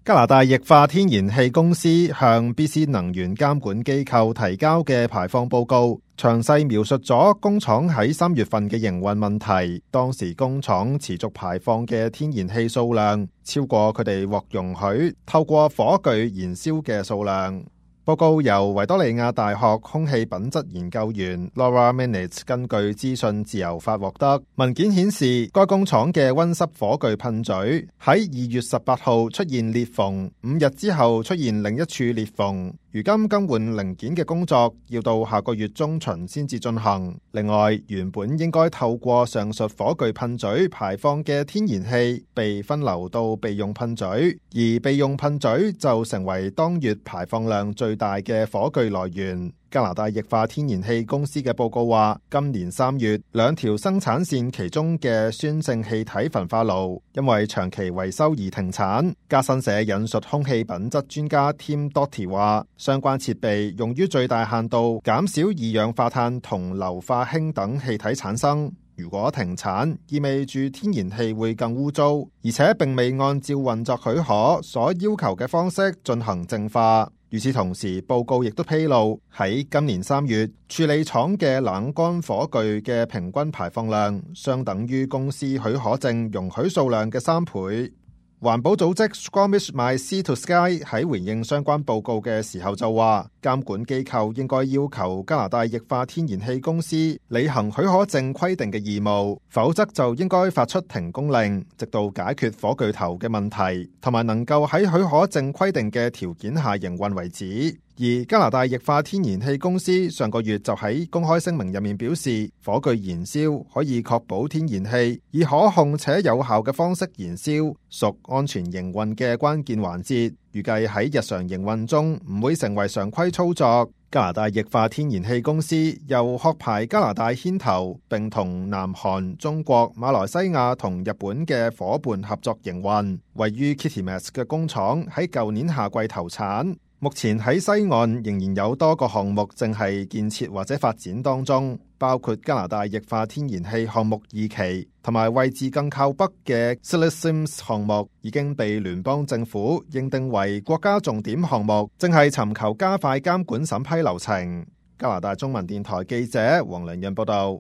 加拿大液化天然氣公司向 BC 能源監管機構提交嘅排放報告，詳細描述咗工廠喺3月份嘅營運問題。當時工廠持續排放嘅天然氣數量超過佢哋獲容許透過火炬燃燒嘅數量。報告由維多利亞大學空氣品質研究員 Laura Minitz 根據資訊自由法獲得。文件顯示，該工廠嘅溫室火炬噴嘴喺2月18號出現裂縫，5日之後出現另一處裂縫。如今更換零件嘅工作要到下個月中旬先至進行。另外，原本應該透過上述火炬噴嘴排放嘅天然氣被分流到備用噴嘴，而備用噴嘴就成為當月排放量最大嘅火炬來源。加拿大液化天然氣公司嘅報告話，今年3月2條生產線其中嘅酸性氣體焚化爐因為長期維修而停產。加新社引述空氣品質專家 Tim Doty 話，相關設備用於最大限度減少二氧化碳同硫化氫等氣體產生。如果停產，意味住天然氣會更污糟，而且並未按照運作許可所要求嘅方式進行淨化。與此同時，報告亦都披露，喺今年3月，處理廠嘅冷乾火炬嘅平均排放量相等於公司許可證容許數量嘅3倍。環保組織 Squamish My Sea to Sky 喺回應相關報告嘅時候就話，監管機構應該要求加拿大液化天然氣公司履行許可證規定嘅義務，否則就應該發出停工令，直到解決火炬頭嘅問題，同埋能夠喺許可證規定嘅條件下營運為止。而加拿大液化天然氣公司上個月就喺公開聲明入面表示，火炬燃燒可以確保天然氣以可控且有效嘅方式燃燒，屬安全營運嘅關鍵環節，預計喺日常營運中唔會成為常規操作。加拿大液化天然氣公司由殼牌加拿大牽頭，並同南韓、中國、馬來西亞同日本嘅伙伴合作營運。位於 Kitimat 嘅工廠喺舊年夏季投產。目前喺西岸仍然有多個項目正係建設或者發展當中，包括加拿大液化天然氣項目2期，同埋位置更靠北嘅 Silesims 項目已經被聯邦政府認定為國家重點項目，正係尋求加快監管審批流程。加拿大中文電台記者黃良潤報道。